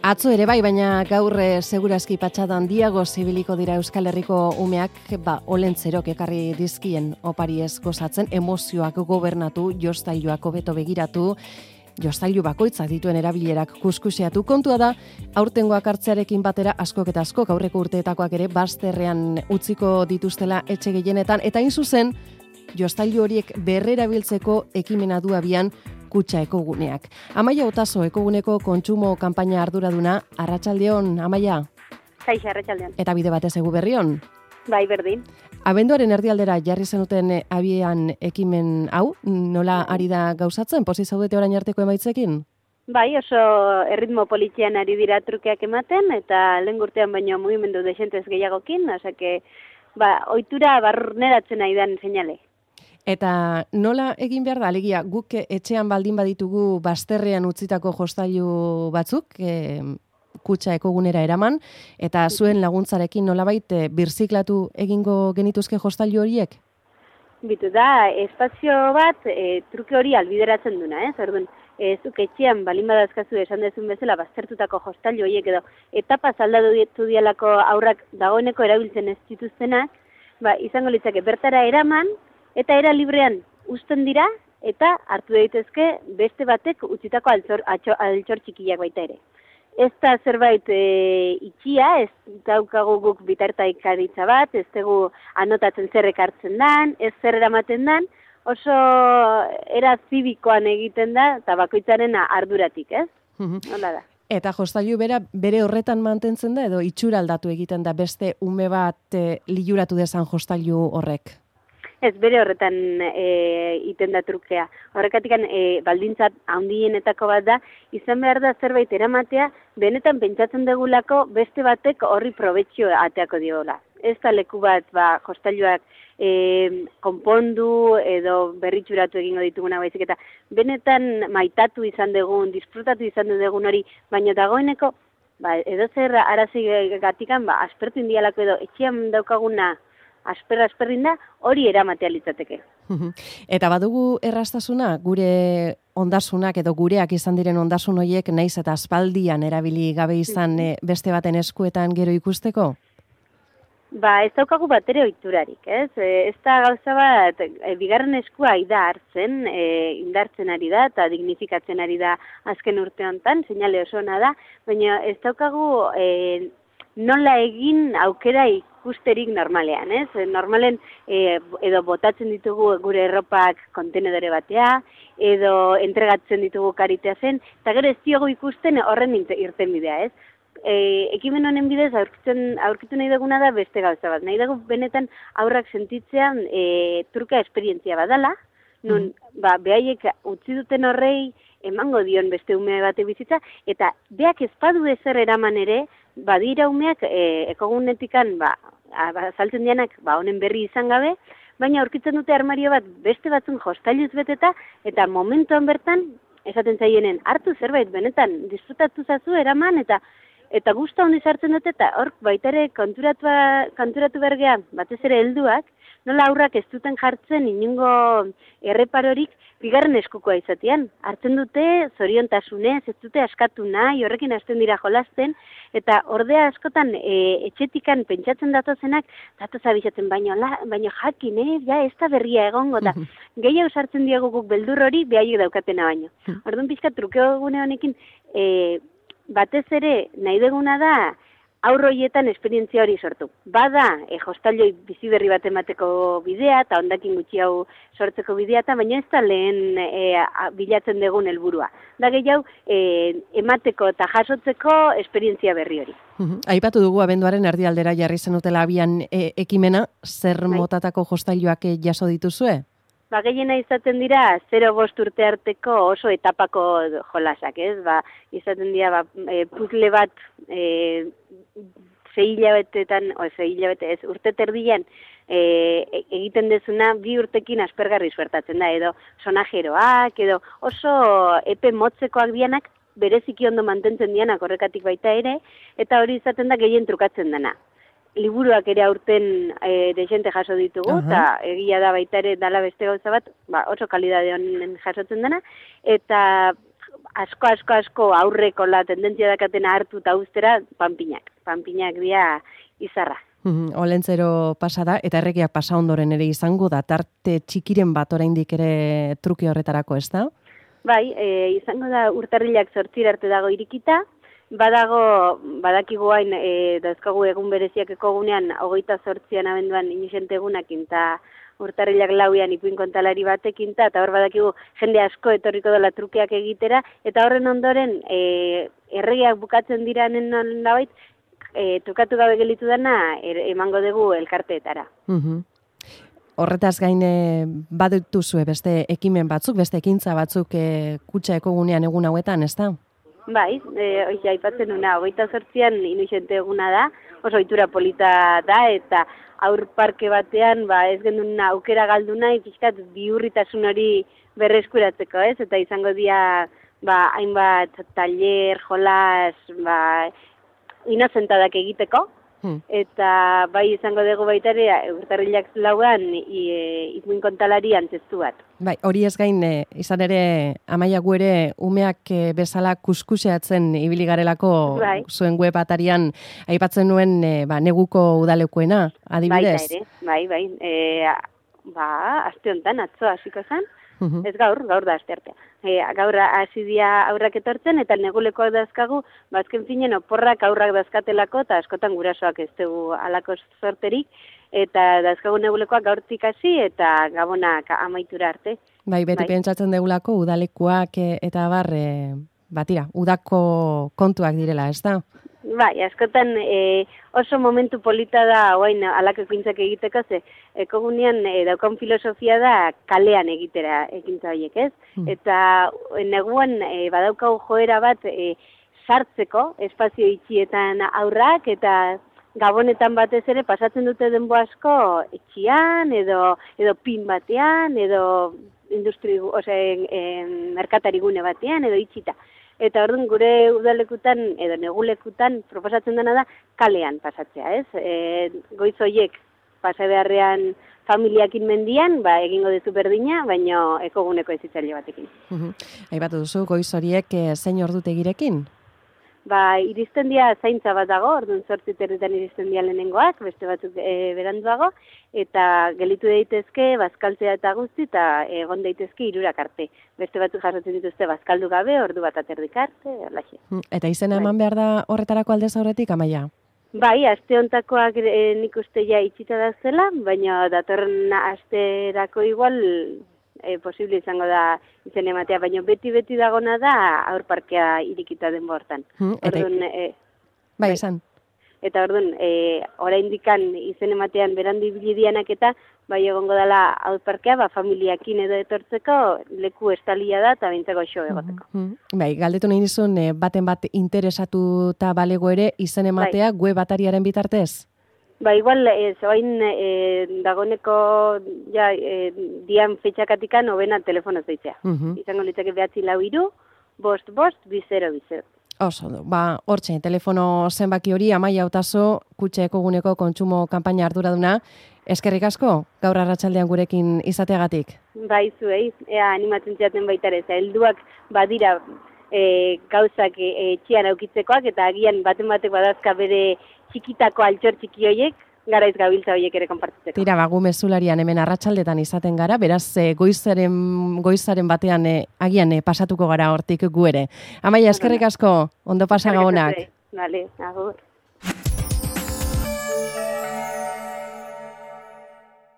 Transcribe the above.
Atzo ere bai, baina gaur segurazki patxada handiago zibiliko dira Euskal Herriko umeak, olentzerok ekarri dizkien opariez gozatzen, emozioak gobernatu, jostailuak hobeto begiratu, jostailu bakoitzak dituen erabilerak kuskuseatu. Kontua da, aurtengoak hartzearekin batera askok eta askok aurreko urteetakoak ere bazterrean utziko dituztela etxe gehienetan, eta hain zuzen, jostailu horiek berrerabiltzeko ekimena du abian Kutxa Ekoguneak. Amaia Otaso, Ekoguneko kontsumo kanpaina arduraduna, arratsaldeon, Amaia? Kaixo, arratsaldeon. Eta bide batez egu berrion? Bai, berdin. Abenduaren erdialdera jarri zenuten abian ekimen hau, nola ari da gauzatzen, pozik zaudete orain arteko emaitzekin? Bai, oso erritmo politian ari dira trukeak ematen, eta lehen urtean baino mugimendu desentez gehiagokin, osake, ohitura barneratzen nahi dan seinale. Eta nola egin behar da, alegia, guk etxean baldin baditugu bazterrean utzitako jostailu batzuk, Kutxa Ekogunera eraman, eta zuen laguntzarekin nolabait birziklatu egingo genituzke jostailu horiek? Bitu da, espazio bat truke hori albideratzen duna, Orduan, zuk etxean balin badazkazu esan dezun bezala baztertutako jostailu horiek edo etapaz aldatu dialako aurrak dagoeneko erabiltzen ez dituztenak, izango litzake bertara eraman, eta era librean uzten dira, eta hartu daitezke beste batek utzitako altxor txikiak baita ere. Ez da zerbait itxia, ez daukagu guk bitartaikaritza bat, ez dugu anotatzen zer ekartzen dan, ez zer eramaten dan, oso era zibikoan egiten da, eta bakoitzaren arduratik, ez? Hola da. Eta jostailu bere horretan mantentzen da, edo itxura aldatu egiten da beste ume bat liluratu dezan jostailu horrek? Ez, bere horretan iten da trukea. Horrekatik baldintzat handienetako bat da, izan behar da zerbait eramatea, benetan pentsatzen degulako beste batek horri probetxio ateako diola. Ez da leku bat jostailuak konpondu edo berritxuratu egingo dituguna baizik, eta benetan maitatu izan dugun, disfrutatu izan dugun hori, baina dagoeneko, edo zer arazi gatikan, aspertu indialako edo etxean daukaguna, asperrin da, hori eramatea litzateke. Eta badugu erraztasuna, gure ondasunak edo gureak izan diren ondasun horiek naiz eta aspaldian erabili gabe izan beste baten eskuetan gero ikusteko? Ez daukagu bat ere ohiturarik, ez? Ez da gauza bat, bigarren eskua hartzen, indartzen ari da eta dignifikatzen ari da azken urte honetan, seinale oso ona da, baina ez daukagu nola egin aukera ikusterik normalean, ez? Normalen edo botatzen ditugu gure erropak kontenedore batea, edo entregatzen ditugu karitea zen, eta gero ez diogu ikusten horren irten bidea, ez? Ekimen honen bidez aurkitu nahi duguna da beste gauza bat. Nahi dugu benetan aurrak sentitzean truka esperientzia badala, nun behaiek utzi duten horrei emango dion beste ume bate bizitza, eta beak ezpadu ezer eraman ere, badira umeak ekogunetikan saltzen dianak honen berri izan gabe, baina aurkitzen dute armario bat beste batzun jostailuz beteta, eta momentuan bertan, esaten zaienen, hartu zerbait benetan, disfrutatu zazu eraman, eta gustu handi sartzen dute, eta hor baita ere konturatu bergea, batez ere helduak, nola aurrak ez duten jartzen inungo erreparorik bigarren eskukoa izatean. Hartzen dute zoriontasunez, ez dute askatu nahi, horrekin hasten dira jolasten, eta ordea askotan etxetikan pentsatzen datozenak, datoz abizatzen baino jakin, ez da berria egongo da. Gehiago sartzen diegu guk beldur hori, behaiek daukatena baino. Orduan pixka trukeo gune honekin, batez ere nahi deguna da, aurroietan esperientzia hori sortu. Bada, jostailoi bizi berri bat emateko bidea, eta hondakin gutxi hau sortzeko bidea, baina ez da lehen bilatzen dugun helburua. Da gehiago, emateko eta jasotzeko esperientzia berri hori. Aipatu dugu abenduaren erdialdera jarri zenutela abian ekimena, zer motatako jostailuak jaso dituzue? Gehiena izaten dira 0-5 urte arteko oso etapako jolasak, ez? Izaten dira puzzle bat 6 hilabetetan, urte terdian egiten dezuna 2 urtekin aspergarri suertatzen da, edo sonajeroak, edo oso epe motzekoak dianak, bereziki ondo mantentzen dianak horrekatik baita ere, eta hori izaten da gehien trukatzen dena. Liburuak ere aurten desente jaso ditugu, eta egia da baita ere dala beste gauza bat, oso kalidade honen jasotzen dena, eta asko aurreko la tendentzia dakatena hartu eta ustera panpinak dira izarra. Olentzero pasada eta erregiak pasa ondoren ere izango da tarte txikiren bat oraindik ere truke horretarako, ez da? Bai, izango da urtarrilak 8 arte dago irikita, badakigu hain dauzkagu egun bereziak ekogunean 28an abenduan inixente egunakin eta urtarrilak 4an ipuin kontalari batekin eta hor badakigu jende asko etorriko dela trukeak egitera eta horren ondoren erregiak bukatzen diranen nolabait trukatu gabe gelitu dena emango dugu elkarteetara. Horretaz gain badituzue beste ekimen batzuk, beste ekintza batzuk kutxa ekogunean egun hauetan, ez da? Bai, aipatzen una, 28an inuxente eguna da, oso ohitura polita da, eta aur parke batean, ez gendun aukera galdu nahi, pixkat bihurritasun hori berreskuratzeko, ez? Eta izango dira, hainbat taller, jolas, inozentadak egiteko, eta bai izango dugu baita ere urtarrilak 4an ipuin kontalari antzestu bat. Bai, hori ez gain izan ere Amaia gu ere umeak bezala kuskuseatzen ibili garelako zuen web atarian aipatzen nuen neguko udalekuena, adibidez. Bai, aste honetan atzo hasiko zen. Ez gaur da asteartea. Gaur hasi dira aurrak etortzen eta negulekoak dazkagu, azken finen oporrak aurrak dazkatelako eta askotan gurasoak ez dugu alako sorterik eta dazkagu negulekoak gaurtik hasi eta gabonak amaitura arte. Bai, beti pentsatzen degulako udalekuak eta tira, udako kontuak direla, ez da? Bai, askotan oso momentu polita da oain alako ekintzak egiteko, ze ekogunean daukan filosofia da kalean egitera ekintza horiek, ez? Eta neguan badaukau joera bat sartzeko espazio itxietan aurrak eta gabonetan batez ere pasatzen dute denbo asko etxian edo pin batean edo merkatarigune batean edo itxita. Eta orduan gure udalekutan edo negulekutan proposatzen dena da kalean pasatzea, ez? Goiz horiek pasa beharrean familiakin mendian, egingo dezu berdina, baina ekoguneko ezitzaile batekin. Aipatu duzu, goiz horiek zein ordutegirekin? Iristen dia zaintza bat dago, orduan 8 iristen dia lehenengoak, beste batzuk beranduago, eta gelitu daitezke bazkaltzea eta guzti, eta egon daitezke 3 arte. Beste batzuk jasotzen dituzte bazkaldu gabe, ordu bat aterdik arte, erlaxe. Eta izena eman behar da horretarako aldez aurretik, Amaia? Bai, aste hontakoak nik uste ja itxita da zela, baina datorren asterako igual posible izango da izen ematea, baina beti dagona da aur parkea irikita den bortan. Bai, esan. Eta orduan, oraindikan izen ematean berandu ibili dianak eta bai egongo dela aur parkea, familiakin edo etortzeko leku estalia da eta bintzeko xo egoteko. Bai, galdetu nahi nizun, baten bat interesatuta balego ere izen ematea web atariaren bitartez? Igual, zoain dagoneko dian fetxakatikan obena telefono zeitzea. Izango litzake 943 552 Oso, hortxe, telefono zenbaki hori, Amaia Hautaso, kutxa ekoguneko kontsumo kanpaina arduraduna. Eskerrik asko, gaur arratsaldean gurekin izateagatik. Bai, zuei, animatzen ziaten baita ere, helduak badira gauzak etxean aukitzekoak, eta agian baten batek badazka bere txikitako altxor txiki horiek, garaiz gabiltza horiek ere konpartitzeko. Tira, gu mezularian hemen arratsaldetan izaten gara, beraz goizaren batean agian pasatuko gara hortik gu ere. Amaia, eskerrik asko, ondo pasa gabonak. Vale, agur.